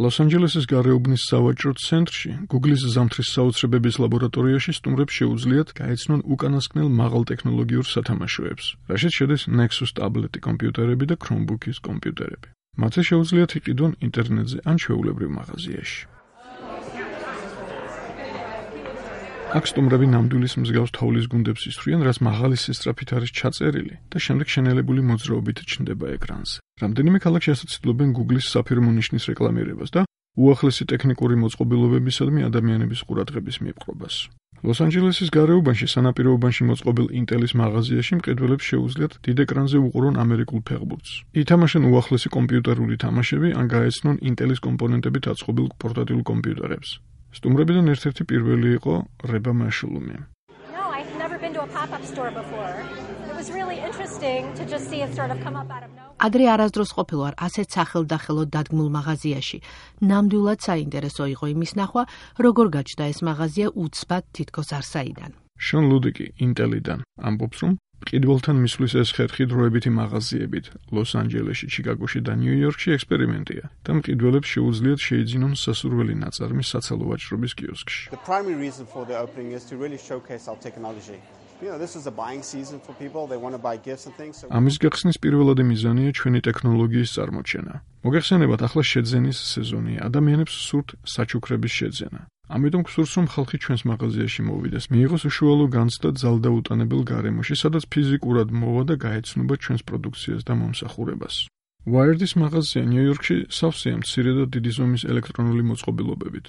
ლოს-ანჯელესის გარეუბნის სავაჭრო ცენტრში, Google-ის ზამთრის საოცრებების ლაბორატორიაში სტუმრებს შეუძლიათ გაეცნონ უკანასკნელ მაღალტექნოლოგიურ სათამაშოებს, რაშიც შედის Nexus ტაბლეტი კომპიუტერები და Chromebook-ის კომპიუტერები. მათზე შეუძლიათ იყიდონ ინტერნეტზე ან ჩვეულებრივ მაღაზიაში. აქ სტუმრები ნამდვილის მსგავს თოვლის გუნდებს ისვრიან, რაც მაღალი სისწრაფით არის ჩაწერილი და შემდეგ შენელებული მოძრაობით ჩნდება ეკრანზე. რამდენიმე ქალაქში ასოცირებენ Google-ის საფირმო ნიშნის რეკლამირებას და უახლესი ტექნიკური მოწყობილობებისადმი ადამიანების ყურადღების მიპყრობას. ლოს-ანჯელესის გარეუბანში სანაპიროობაში მოწყობილ Intel-ის მაღაზიაში მყიდველებს შეუძლიათ დიდ ეკრანზე უყურონ ამერიკულ ფეხბურთს. ითამაშონ უახლესი კომპიუტერული თამაშები ან გაეცნონ Intel-ის კომპონენტებით აწყობილ პორტატიულ კომპიუტერებს. სტუმრებიდან ერთ-ერთი პირველი იყო რება მაშულუმი. ადრე არასდროს ყოფილვარ ასეთ სახელდახელო დადგმულ მაღაზიაში. ნამდვილად საინტერესო იყო იმის ნახვა, როგორ გაჩნდა ეს მაღაზია უცბად თითქოს არსაიდან. შონ ლუდიკი Intel-იდან ამბობს, რომ მყიდველთან მისვლის ეს ხერხი დროებითი მაღაზიებით ლოს-ანჯელესში, ჩიკაგოში და ნიუ-იორკში ექსპერიმენტია და მყიდველებს შეუძლიათ შეიძინონ სასურველი ნაწარმი საცალო ვაჭრობის კიოსკში. ამის გახსნის პირველადი მიზანია ჩვენი ტექნოლოგიის წარმოჩენა. მოგეხსენებათ, ახლა შეძენის სეზონია, ადამიანებს სურთ საჩუქრების შეძენა. ამიტომ გსურს, რომ ხალხი ჩვენს მაღაზიაში მოვიდეს, მიიღოს უშუალო განცდა ძალდაუტანებელ გარემოში, სადაც ფიზიკურად მოვა და გაეცნობა ჩვენს პროდუქციას და მომსახურებას. Wired-ის მაღაზია ნიუ-იორკში სავსეა მცირე და დიდი ზომის ელექტრონული მოწყობილობებით.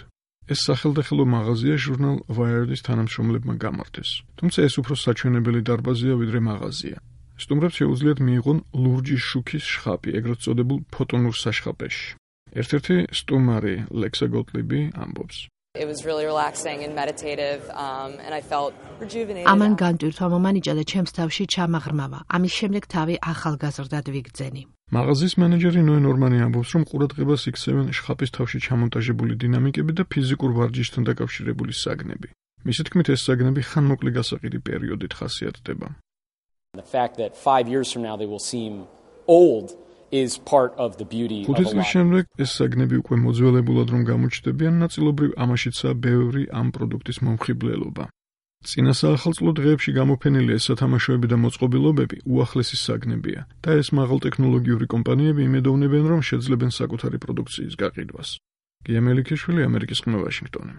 ეს სახელდახელო მაღაზია ჟურნალ Wired-ის თანამშრომლებმა გამართეს. თუმცა ეს უფრო საჩვენებელი დარბაზია, ვიდრე მაღაზია. სტუმრებს შეუძლიათ მიიღონ ლურჯი შუქის შხაპი, ეგრეთ წოდებულ ფოტონურ საშხაპეში. ერთ-ერთი სტუმარი, ლექსა გოტლიბი, ამბობს. It was really relaxing and meditative, and I felt rejuvenated. ამან განტვირთვა მომანიჭა და ჩემს თავში ჩამაღრმავა. ამის შემდეგ თავი ახალგაზრდად ვიგრძენი. მაღაზიის მენეჯერი ნოე ნორმანი ამბობს, რომ ყურადღებას იქცევენ შხაპის თავში ჩამონტაჟებული დინამიკები და ფიზიკურ ვარჯიშთან დაკავშირებული საგნები. მისი თქმით, ეს საგნები ხანმოკლე გასაყიდი პერიოდით ხასიათდება. The fact that 5 years from now they will seem old is part of the beauty of a 5 წლის შემდეგ ეს საგნები უკვე მოძველებულად რომ გამოჩნდებიან, ნაწილობრივ ამაშიცაა ბევრი ამ პროდუქტის მომხიბლელობა. წინა საახალწლო დღეებში გამოფენილი ეს სათამაშოები და მოწყობილობები უახლესი საგნებია და ეს მაღალტექნოლოგიური კომპანიები იმედოვნებენ, რომ შეძლებენ საკუთარი პროდუქციის გაყიდვას. გია მელიქიშვილი, ამერიკის ყმა, ვაშინგტონი.